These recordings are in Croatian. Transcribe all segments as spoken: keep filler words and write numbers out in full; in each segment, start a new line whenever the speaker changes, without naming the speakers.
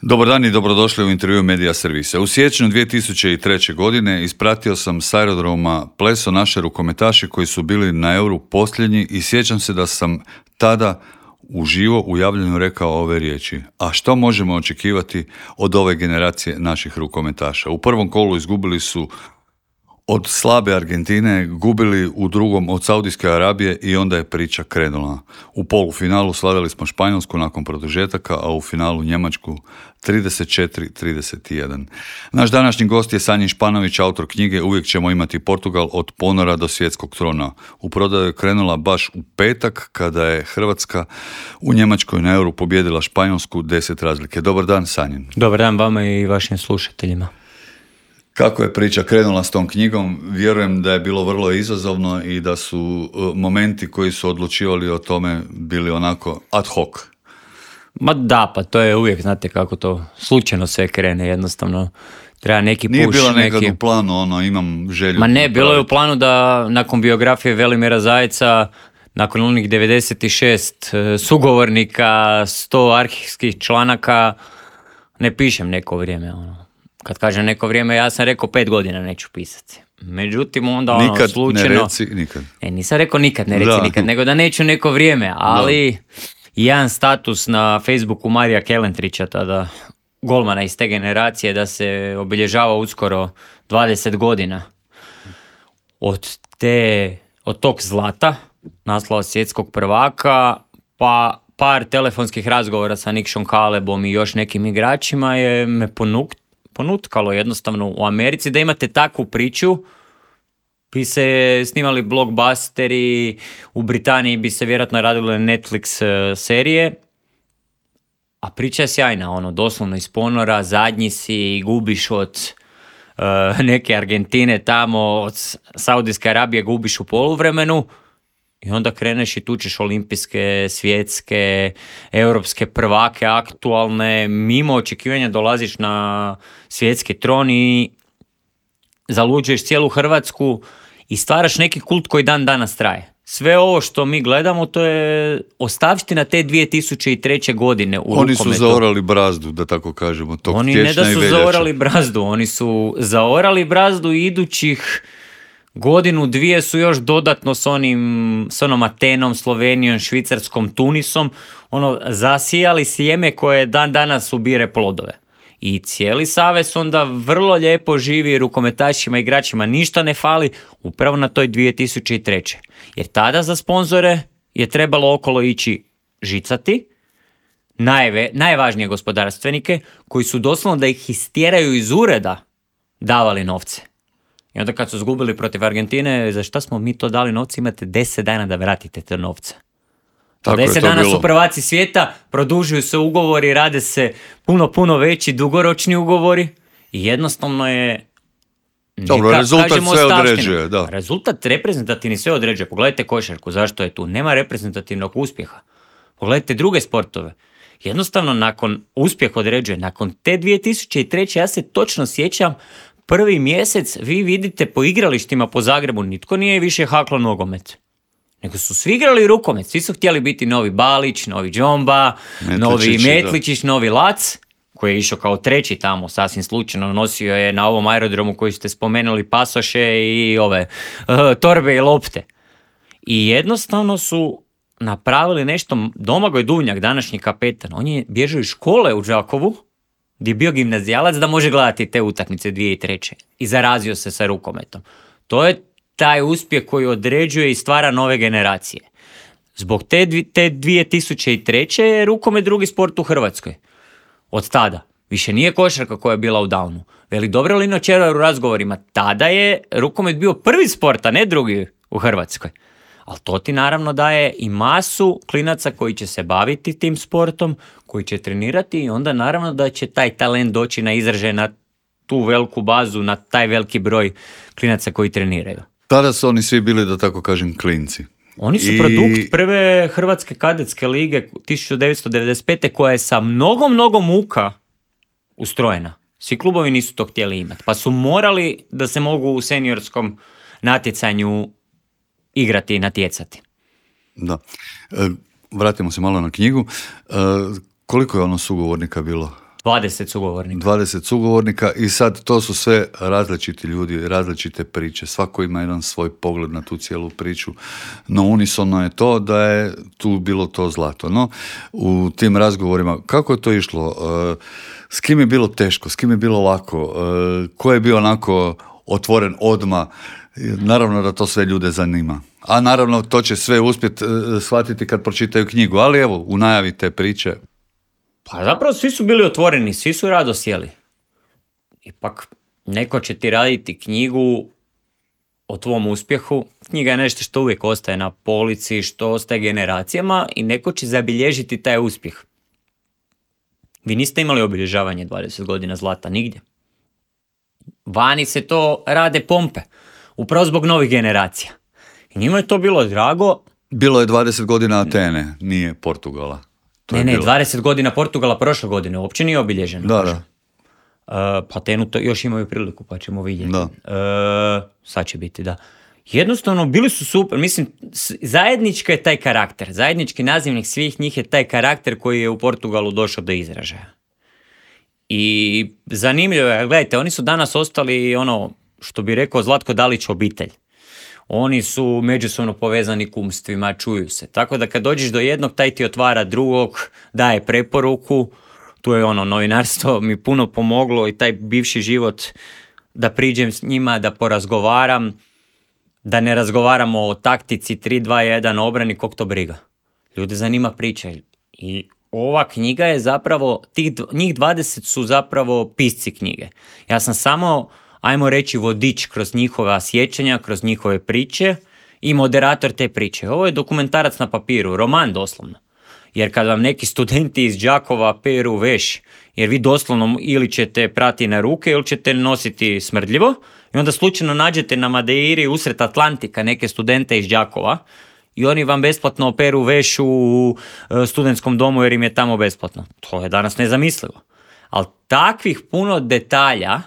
Dobar dan i dobrodošli u intervju Medija Servisa. U siječnju dvije tisuće treće. godine ispratio sam s aerodroma pleso naše rukometaše koji su bili na Euru posljednji i sjećam se da sam tada uživo u javljanju rekao ove riječi. A što možemo očekivati od ove generacije naših rukometaša? U prvom kolu izgubili su od slabe Argentine, gubili u drugom od Saudijske Arabije i onda je priča krenula. U polufinalu slavili smo Španjolsku nakon produžetaka, a u finalu Njemačku trideset četiri trideset jedan. Naš današnji gost je Sanjin Španović, autor knjige Uvijek ćemo imati Portugal od ponora do svjetskog trona. U prodaju je krenula baš u petak kada je Hrvatska u Njemačkoj na Euru pobijedila Španjolsku deset razlike. Dobar dan, Sanjin.
Dobar dan vama i vašim slušateljima.
Kako je priča krenula s tom knjigom? Vjerujem da je bilo vrlo izazovno i da su momenti koji su odlučivali o tome bili onako ad hoc.
Ma da, pa to je uvijek, znate kako to slučajno sve krene, jednostavno treba neki puš.
Nije bilo nekad
neki...
u planu, ono, imam želju.
Ma ne, bilo je u planu da nakon biografije Velimira Zajca, nakon onih devedeset šest sugovornika, sto arhivskih članaka, ne pišem neko vrijeme, ono. Kad kažem neko vrijeme, ja sam rekao pet godina neću pisati. Međutim, onda ono
nikad
slučajno...
ne reci nikad.
E, nisam rekao nikad ne reci da. nikad, nego da neću neko vrijeme, ali da. Jedan status na Facebooku Marija Kelentrića, tada golmana iz te generacije, da se obilježava uskoro dvadeset godina od te, od tog zlata, naslova svjetskog prvaka, pa par telefonskih razgovora sa Nikšom Kalebom i još nekim igračima je me ponuk, ponutkalo jednostavno u Americi da imate takvu priču. Bi se snimali blockbusteri, u Britaniji bi se vjerojatno radile Netflix serije, a priča je sjajna, ono, doslovno iz ponora, zadnji si, gubiš od uh, neke Argentine tamo, od Saudijske Arabije gubiš u poluvremenu i onda kreneš i tučeš olimpijske, svjetske, europske prvake, aktualne, mimo očekivanja dolaziš na svjetski tron i zaluđuješ cijelu Hrvatsku i stvaraš neki kult koji dan danas traje. Sve ovo što mi gledamo, to je ostavština te dvije tisuće treće. godine u
Oni
rukometu.
su zaorali brazdu, da tako kažemo, tog
Oni ne da su zaorali brazdu, oni su zaorali brazdu i idućih godinu, dvije su još dodatno s onim, s onom Atenom, Slovenijom, Švicarskom, Tunisom, ono, zasijali sjeme koje dan danas ubire plodove. I cijeli savez onda vrlo lijepo živi, rukometašima, igračima ništa ne fali, upravo na toj dvije tisuće treće. Jer tada za sponzore je trebalo okolo ići žicati, najve, najvažnije gospodarstvenike, koji su doslovno da ih istjeraju iz ureda davali novce. I onda kad su izgubili protiv Argentine, za šta smo mi to dali novce, imate deset dana da vratite te novce. deset dana bilo. Su prvaci svijeta, produžuju se ugovori, rade se puno, puno veći, dugoročni ugovori i jednostavno je...
Dobro, neka, rezultat sve ostavštinu. Određuje, da.
Rezultat reprezentativni sve određuje. Pogledajte košarku, zašto je tu? Nema reprezentativnog uspjeha. Pogledajte druge sportove. Jednostavno, nakon uspjeh određuje. Nakon te dvije tisuće treće. ja se točno sjećam, prvi mjesec vi vidite po igralištima po Zagrebu, nitko nije više haklo nogomet. Nego su svi igrali rukomet, svi su htjeli biti novi Balić, novi Džomba, Metličić, novi Metličić, da. Novi Lac, koji je išao kao treći tamo, sasvim slučajno, nosio je na ovom aerodromu koji ste spomenuli pasoše i ove uh, torbe i lopte. I jednostavno su napravili nešto. Domagoj Duvnjak, današnji kapetan, on je bježao iz škole u Đakovu, gdje je bio gimnazijalac, da može gledati te utakmice dvije tisuće treće. I zarazio se sa rukometom. To je taj uspjeh koji određuje i stvara nove generacije. Zbog te, dvi, te dvije tisuće treće. je rukomet drugi sport u Hrvatskoj. Od tada. Više nije košarka koja je bila u downu. Veli dobro Lino Červar u razgovorima. Tada je rukomet bio prvi sport, a ne drugi u Hrvatskoj. Ali to ti naravno daje i masu klinaca koji će se baviti tim sportom, koji će trenirati i onda naravno da će taj talent doći na izražaj na tu veliku bazu, na taj veliki broj klinaca koji treniraju.
Tada su oni svi bili, da tako kažem, klinci.
Oni su I... produkt prve Hrvatske kadetske lige tisuću devetsto devedeset pete. koja je sa mnogo, mnogo muka ustrojena. Svi klubovi nisu to htjeli imati, pa su morali da se mogu u seniorskom natjecanju igrati i natjecati.
Da. E, vratimo se malo na knjigu. E, koliko je ono sugovornika bilo
dvadeset sugovornika.
dvadeset sugovornika i sad to su sve različiti ljudi, različite priče. Svako ima jedan svoj pogled na tu cijelu priču. No unisono je to da je tu bilo to zlato. No, u tim razgovorima, kako je to išlo? S kim je bilo teško? S kim je bilo lako? Ko je bio onako otvoren odmah? Naravno da to sve ljude zanima. A naravno to će sve uspjeti shvatiti kad pročitaju knjigu. Ali evo, u najavi te priče.
Pa zapravo svi su bili otvoreni, svi su rado sjeli. Ipak neko će ti raditi knjigu o tvom uspjehu. Knjiga je nešto što uvijek ostaje na polici, što ostaje generacijama i neko će zabilježiti taj uspjeh. Vi niste imali obilježavanje dvadeset godina zlata nigdje. Vani se to rade pompe, upravo zbog novih generacija. I njima je to bilo drago.
Bilo je dvadeset godina Atene, nije Portugala. To
ne,
je
ne,
bilo.
dvadeset godina Portugala prošle godine, uopće nije obilježeno.
Da, da.
Uh, pa Atenu to još imaju priliku, pa ćemo vidjeti.
Da.
Uh, sad će biti, da. Jednostavno, bili su super, mislim, zajednički je taj karakter, zajednički nazivnik svih njih je taj karakter koji je u Portugalu došao do izražaja. I zanimljivo je, gledajte, oni su danas ostali ono, što bi rekao Zlatko Dalić, obitelj. Oni su međusobno povezani kumstvima, čuju se. Tako da kad dođeš do jednog, taj ti otvara drugog, daje preporuku. Tu je ono, novinarstvo mi puno pomoglo i taj bivši život da priđem s njima, da porazgovaram, da ne razgovaramo o taktici tri dva jedan obrani, kog to briga. Ljude zanima priča. I ova knjiga je zapravo, tih, njih dvadeset su zapravo pisci knjige. Ja sam samo, ajmo reći, vodič kroz njihova sjećanja, kroz njihove priče i moderator te priče. Ovo je dokumentarac na papiru, roman doslovno. Jer kad vam neki studenti iz Đakova peru veš, jer vi doslovno ili ćete prati na ruke ili ćete nositi smrdljivo i onda slučajno nađete na Madeiri usred Atlantika neke studente iz Đakova i oni vam besplatno peru veš u studentskom domu jer im je tamo besplatno. To je danas nezamislivo. Ali takvih puno detalja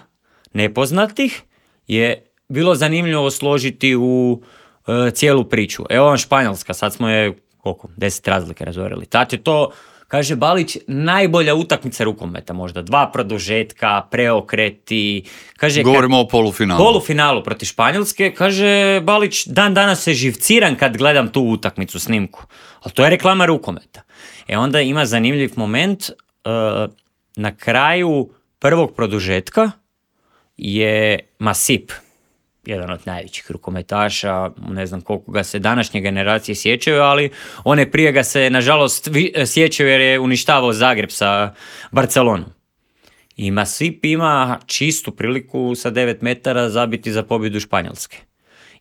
nepoznatih je bilo zanimljivo složiti u e, cijelu priču. Evo vam Španjolska, sad smo je koliko, deset razlike razorili. Tad je to, kaže Balić, najbolja utakmica rukometa možda. Dva produžetka, preokreti. Kaže,
govorimo
kad,
o polufinalu.
Polufinalu protiv Španjolske. Kaže Balić, dan danas se živciram kad gledam tu utakmicu, snimku. Ali to je reklama rukometa. E onda ima zanimljiv moment. Uh, na kraju prvog produžetka je Masip, jedan od najvećih rukometaša, ne znam koliko ga se današnje generacije sjećaju, ali one prije ga se nažalost sjećaju jer je uništavao Zagreb sa Barcelonom. I Masip ima čistu priliku sa devet metara zabiti za pobjedu Španjolske.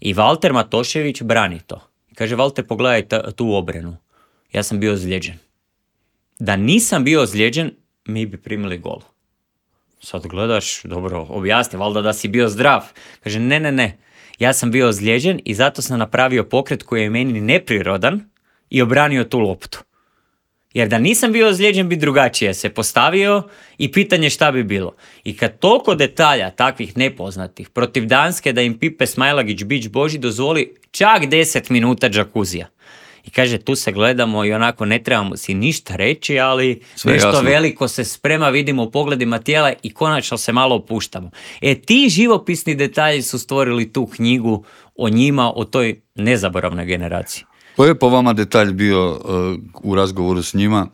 I Valter Matošević brani to. Kaže, Valter, pogledaj ta, tu obranu. Ja sam bio ozlijeđen. Da nisam bio ozlijeđen, mi bi primili gol. Sad gledaš, dobro, objasni, valjda da si bio zdrav. Kaže, ne, ne, ne, ja sam bio ozlijeđen i zato sam napravio pokret koji je meni neprirodan i obranio tu loptu. Jer da nisam bio ozlijeđen bi drugačije se postavio i pitanje šta bi bilo. I kad toliko detalja takvih nepoznatih protiv Danske da im Pipe Smajlagić Bić Boži dozvoli čak deset minuta džakuzija. I kaže, tu se gledamo i onako ne trebamo si ništa reći, ali sve nešto jasno. Veliko se sprema, vidimo u pogledima tijela i konačno se malo opuštamo. E, ti živopisni detalji su stvorili tu knjigu o njima, o toj nezaboravnoj generaciji.
Koji je po vama detalj bio uh, u razgovoru s njima?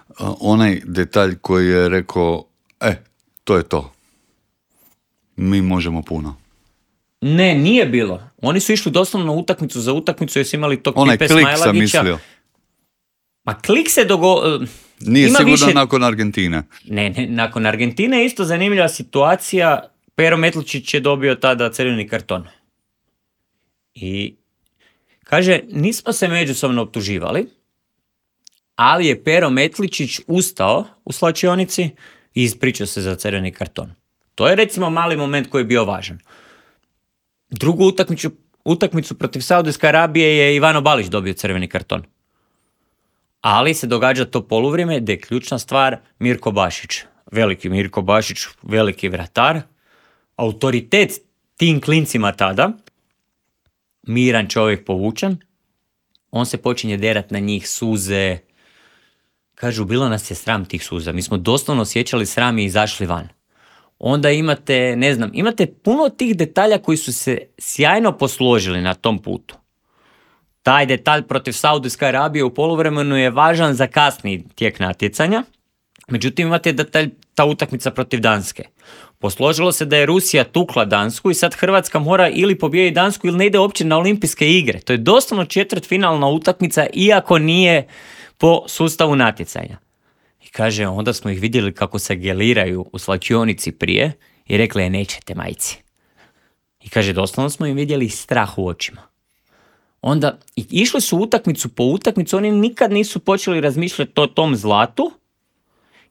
Uh, onaj detalj koji je rekao, e, to je to. Mi možemo puno.
Ne, nije bilo. Oni su išli doslovno utakmicu za utakmicu jer su imali tog
onaj
Pipe
klik
Smajlagića.
Sam mislio.
Ma klik se dogo...
Nije
Ima
sigurno
više...
nakon Argentine.
Ne, ne, nakon Argentine je isto zanimljiva situacija. Pero Metličić je dobio tada crveni karton. I kaže, nismo se međusobno optuživali, ali je Pero Metličić ustao u slačionici i ispričao se za crveni karton. To je recimo mali moment koji je bio važan. Drugu utakmicu, utakmicu protiv Saudijske Arabije je Ivano Balić dobio crveni karton. Ali se događa to poluvrijeme gdje je ključna stvar Mirko Bašić. Veliki Mirko Bašić, veliki vratar, autoritet tim klincima tada, miran čovjek povučan, on se počinje derat na njih, suze, Kažu, bilo nas je sram tih suza. Mi smo doslovno osjećali sram i izašli van. Onda imate, ne znam, imate puno tih detalja koji su se sjajno posložili na tom putu. Taj detalj protiv Saudijske Arabije u poluvremenu je važan za kasni tijek natjecanja. Međutim, imate detalj, ta utakmica protiv Danske. Posložilo se da je Rusija tukla Dansku i sad Hrvatska mora ili pobijediti Dansku ili ne ide uopće na olimpijske igre. To je doslovno četvrtfinalna utakmica, iako nije po sustavu natjecanja. I kaže, onda smo ih vidjeli kako se geliraju u slačionici prije i rekli je, nećete majci. I kaže, doslovno smo im vidjeli strah u očima. Onda i išli su utakmicu po utakmicu, oni nikad nisu počeli razmišljati o tom zlatu,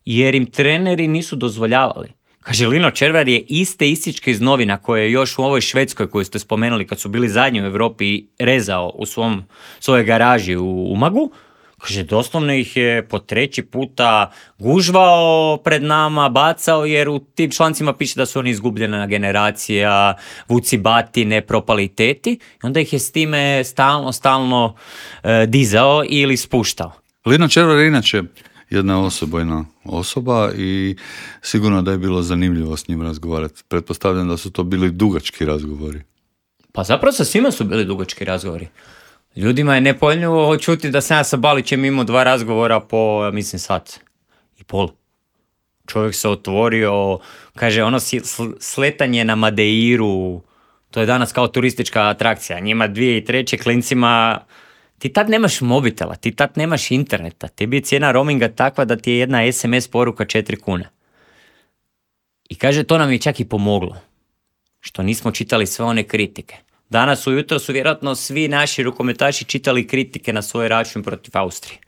jer im treneri nisu dozvoljavali. Kaže, Lino Červar je iste ističke iz novina koje je još u ovoj Švedskoj koju ste spomenuli kad su bili zadnji u Europi rezao u svom, svojoj garaži u Umagu. Kaže, doslovno ih je po treći puta gužvao pred nama, bacao, jer u tim člancima piše da su oni izgubljena generacija, vuci batine, propaliteti. I onda ih je s time stalno, stalno e, dizao ili spuštao.
Lino Červar je inače jedna osobojna osoba i sigurno da je bilo zanimljivo s njim razgovarati. Pretpostavljam da su to bili dugački razgovori.
Pa zapravo sa svima su bili dugački razgovori. Ljudima je nepojmljivo čuti da sam ja sa Balićem imao dva razgovora po, mislim, sat i pol. Čovjek se otvorio, kaže, ono sletanje na Madeiru, to je danas kao turistička atrakcija. Njima dvije i treće klincima, ti tad nemaš mobitela, ti tad nemaš interneta, tebi je cijena roaminga takva da ti je jedna es em es poruka četiri kune. I kaže, to nam je čak i pomoglo, što nismo čitali sve one kritike. Danas ujutro su vjerojatno svi naši rukometaši čitali kritike na svoj račun protiv Austrije,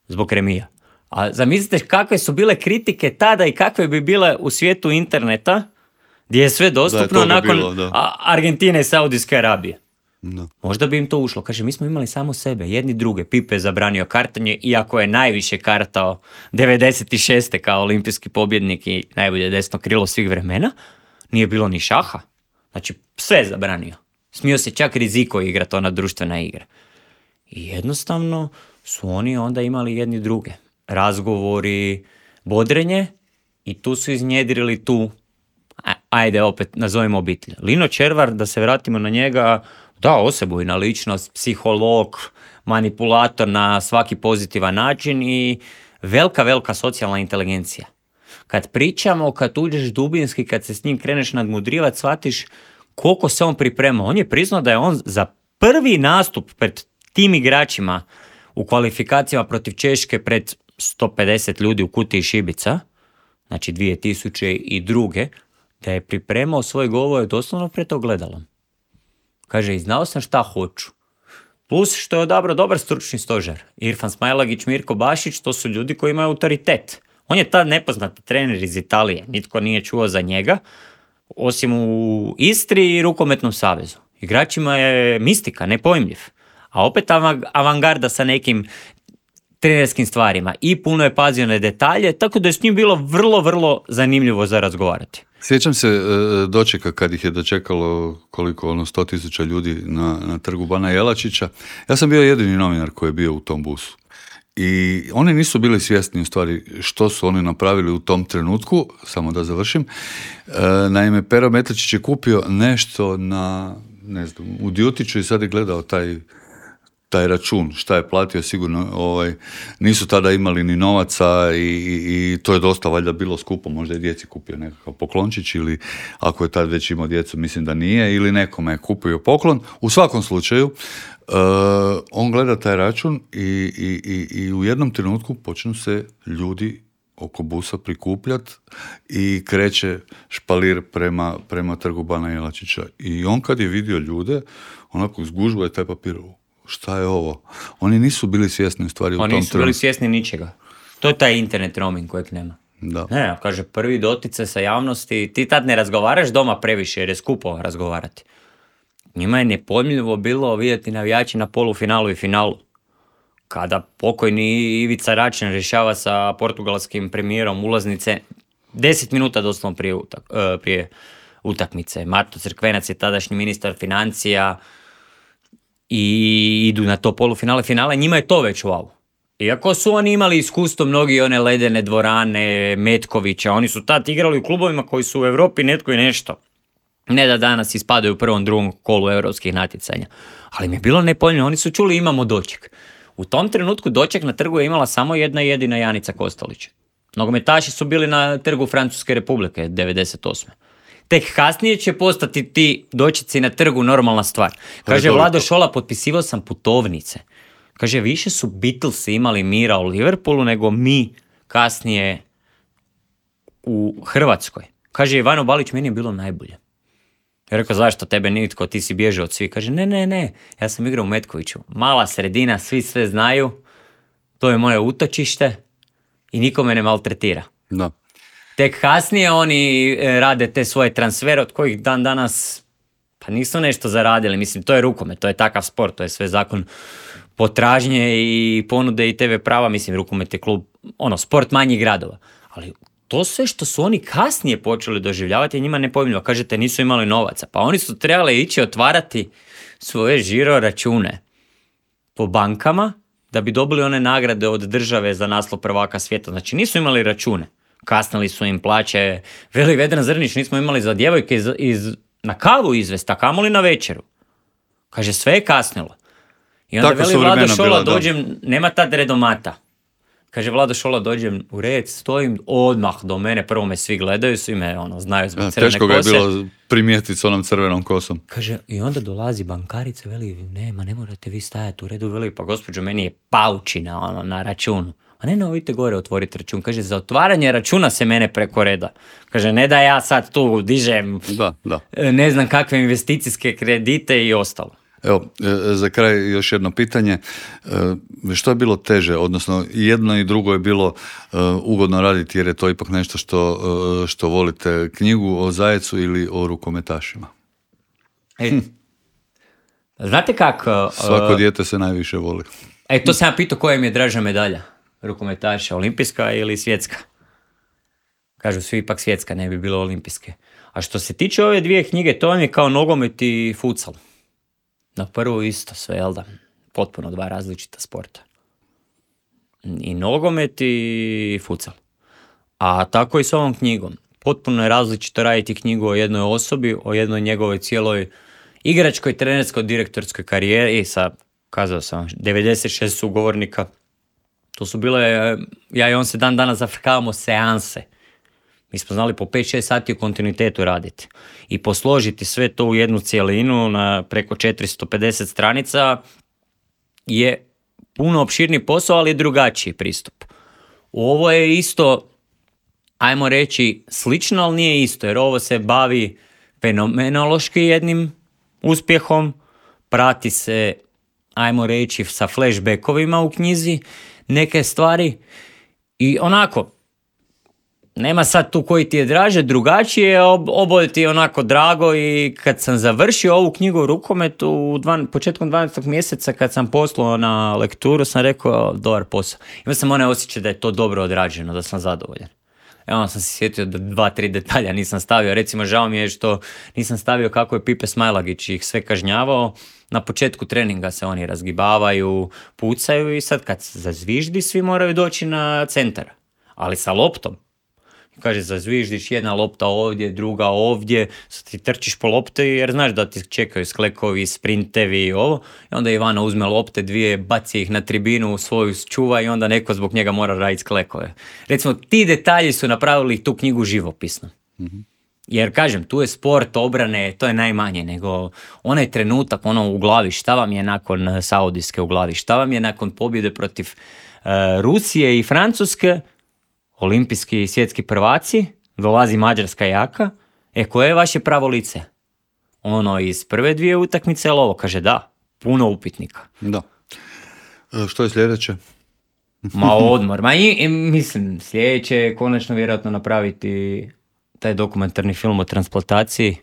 zbog remija. A zamislite kakve su bile kritike tada i kakve bi bile u svijetu interneta, gdje je sve dostupno
da je
nakon
bilo, da.
Argentine i Saudijske Arabije.
Da.
Možda bi im to ušlo. Kaže, mi smo imali samo sebe, jedni druge. Pipe je zabranio kartanje, iako je najviše kartao devedeset šeste kao olimpijski pobjednik i najbolje desno krilo svih vremena. Nije bilo ni šaha. Znači, sve je zabranio. Smio se čak riziko igrati, ona društvena igra. I jednostavno su oni onda imali jedni druge. Razgovori, bodrenje i tu su iznjedrili tu, ajde opet nazovimo obitelj. Lino Červar, da se vratimo na njega, da, osebujna ličnost, psiholog, manipulator na svaki pozitivan način i velika, velika socijalna inteligencija. Kad pričamo, kad uđeš dubinski, kad se s njim kreneš nadmudrivati, shvatiš koliko se on priprema. On je priznao da je on za prvi nastup pred tim igračima u kvalifikacijama protiv Češke pred sto pedeset ljudi u Kutiji Šibica, znači dvije tisuće druge, da je pripremao svoj govor doslovno pred ogledalom. Kaže, i znao sam šta hoću. Plus što je odabrao dobar stručni stožer. Irfan Smailagić, Mirko Bašić, to su ljudi koji imaju autoritet. On je tad nepoznat trener iz Italije. Nitko nije čuo za njega, osim u Istri i Rukometnom savezu. Igračima je mistika, nepojmljiv. A opet avangarda sa nekim trenerskim stvarima. I puno je pazio na detalje, tako da je s njim bilo vrlo, vrlo zanimljivo za razgovarati.
Sjećam se e, dočeka kad ih je dočekalo koliko, ono, sto tisuća ljudi na, na trgu Bana Jelačića. Ja sam bio jedini novinar koji je bio u tom busu. I oni nisu bili svjesni u stvari što su oni napravili u tom trenutku, samo da završim. E, naime, Pero Metličić je kupio nešto na, ne znam, u Djutiću i sad je gledao taj taj račun, šta je platio, sigurno ovaj, nisu tada imali ni novaca i, i, i to je dosta valjda bilo skupo, možda je djeci kupio nekakav poklončić ili ako je tad već imao djecu, mislim da nije, ili nekome je kupio poklon. U svakom slučaju, uh, on gleda taj račun i, i, i, i u jednom trenutku počnu se ljudi oko busa prikupljati i kreće špalir prema, prema trgu Bana Jelačića. I on kad je vidio ljude, onako zgužba je taj papir. Šta je ovo? Oni nisu bili svjesni u stvari u tom trenutku.
Oni nisu bili svjesni ničega. To je taj internet roaming kojeg nema.
Da.
Ne, kaže, prvi dotice sa javnosti, ti tad ne razgovaraš doma previše jer je skupo razgovarati. Njima je nepojmljivo bilo vidjeti navijači na polufinalu i finalu. Kada pokojni Ivica Račan rješava sa portugalskim premijerom ulaznice deset minuta doslovno prije, utak, prije utakmice. Mato Crkvenac je tadašnji ministar financija i idu na to polufinale, finale, njima je to već wow. Iako su oni imali iskustvo mnogi one ledene dvorane, Metkovića, oni su tad igrali u klubovima koji su u Europi netko i nešto. Ne da danas ispadaju u prvom, drugom kolu europskih natjecanja. Ali mi je bilo nepojmljivo, oni su čuli imamo doček. U tom trenutku doček na trgu je imala samo jedna jedina Janica Kostelić. Nogometaši su bili na trgu Francuske Republike devedeset osme. Tek kasnije će postati ti dočeci na trgu normalna stvar. Kaže Vlado Šola, potpisivao sam putovnice. Kaže, više su Beatlesi imali mira u Liverpoolu nego mi kasnije u Hrvatskoj. Kaže, Ivano Balić, meni je bilo najbolje. Ja rekao, zašto tebe nitko, ti si bježao od svih? Kaže, ne, ne, ne, ja sam igrao u Metkoviću. Mala sredina, svi sve znaju, to je moje utočište i niko me ne maltretira.
Da.
Tek kasnije oni rade te svoje transfere od kojih dan danas pa nisu nešto zaradili. Mislim, to je rukomet, to je takav sport, to je sve zakon potražnje i ponude i te ve prava. Mislim, rukomet je klub, ono, sport manjih gradova. Ali to sve što su oni kasnije počeli doživljavati je njima nepojmljivo. Kažete, nisu imali novaca. Pa oni su trebali ići otvarati svoje žiro račune po bankama da bi dobili one nagrade od države za naslov prvaka svijeta. Znači, nisu imali račune. Kasnili su im plaće. Veli Vedran Zrnić, nismo imali za djevojke iz, iz, na kavu izvest, a kamoli na večeru. Kaže, sve je kasnilo. I onda
Tako
veli Vlado Šola,
bila,
dođem, nema tad redomata. Kaže, Vlado Šola, dođem u red, stojim, odmah do mene, prvo me svi gledaju, svi me ono, znaju zbog crvene kose.
Teško ga je bilo primijetiti s onom crvenom kosom.
Kaže, i onda dolazi bankarica, veli, nema, ne morate vi stajati u redu, veli, pa gospođo, meni je paučina ono, na računu. A ne, no, idite gore otvoriti račun. Kaže, za otvaranje računa se mene preko reda. Kaže, ne da ja sad tu dižem
da, da.
ne znam kakve investicijske kredite i ostalo.
Evo, za kraj još jedno pitanje. Što je bilo teže? Odnosno, jedno i drugo je bilo ugodno raditi jer je to ipak nešto što, što volite. Knjigu o Zajecu ili o rukometašima?
E, znate kako?
Svako dijete se najviše voli.
E, to sam ja pitao koja im je draža medalja. Rukometaša, olimpijska ili svjetska? Kažu svi ipak svjetska, ne bi bilo olimpijske. A što se tiče ove dvije knjige, to vam je kao nogomet i futsal. Na prvo isto sve, jel da? Potpuno dva različita sporta. I nogomet i futsal. A tako i s ovom knjigom. Potpuno je različito raditi knjigu o jednoj osobi, o jednoj njegovoj cijeloj igračkoj, trenerskoj, direktorskoj karijeri sa, kazao sam, devedeset šest sugovornika. To su bile, ja i on se dan danas zafrkavamo seanse. Mi smo znali po pet šest sati u kontinuitetu raditi. I posložiti sve to u jednu cijelinu na preko četiristo pedeset stranica je puno opširniji posao, ali drugačiji pristup. Ovo je isto, ajmo reći, slično, ali nije isto, jer ovo se bavi fenomenološki jednim uspjehom, prati se, ajmo reći, sa flashbackovima u knjizi, neke stvari i onako, nema sad tu koji ti je draže, drugačije, ob, oboje ti je onako drago i kad sam završio ovu knjigu o rukometu u dvan, početkom dvanaestog mjeseca kad sam poslao na lekturu sam rekao dobar posao. Imao sam onaj osjećaj da je to dobro odrađeno, da sam zadovoljan. Evo sam se sjetio da dva, tri detalja nisam stavio. Recimo, žao mi je što nisam stavio kako je Pipe Smajlagić ih sve kažnjavao. Na početku treninga se oni razgibavaju, pucaju i sad kad zazviždi svi moraju doći na centar. Ali sa loptom. Kaže, zazviždiš jedna lopta ovdje, druga ovdje, sad ti trčiš po lopte jer znaš da ti čekaju sklekovi, sprintevi i ovo. I onda Ivana uzme lopte dvije, baci ih na tribinu, svoju čuva i onda neko zbog njega mora raditi sklekove. Recimo, ti detalji su napravili tu knjigu živopisno. Mm-hmm. Jer, kažem, tu je sport, obrane, to je najmanje, nego onaj trenutak ono u glavi, šta vam je nakon Saudijske u glavi, šta vam je nakon pobjede protiv uh, Rusije i Francuske, olimpijski i svjetski prvaci, dolazi Mađarska jaka, e koje je vaše pravo lice? Ono iz prve dvije utakmice, ali ovo kaže da, puno upitnika.
Da. E, što je sljedeće?
Ma odmor, ma i, i mislim, sljedeće je konačno vjerojatno napraviti taj dokumentarni film o transplantaciji.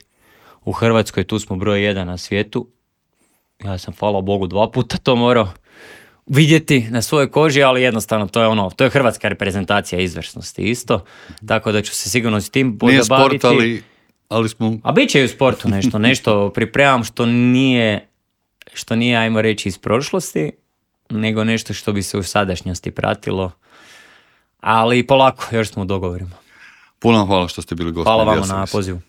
U Hrvatskoj tu smo broj jedan na svijetu. Ja sam, hvala Bogu, dva puta to morao vidjeti na svojoj koži, ali jednostavno to je ono, to je hrvatska reprezentacija izvrsnosti isto, tako da ću se sigurno s tim pozabaviti.
Nije sport, ali, ali smo...
A bit će i u sportu nešto, nešto pripremam što nije, što nije, ajmo reći, iz prošlosti, nego nešto što bi se u sadašnjosti pratilo. Ali polako, još smo u dogovorima.
Puno vam hvala što ste bili gosti.
Hvala
Media
vama na
Servisa.
pozivu.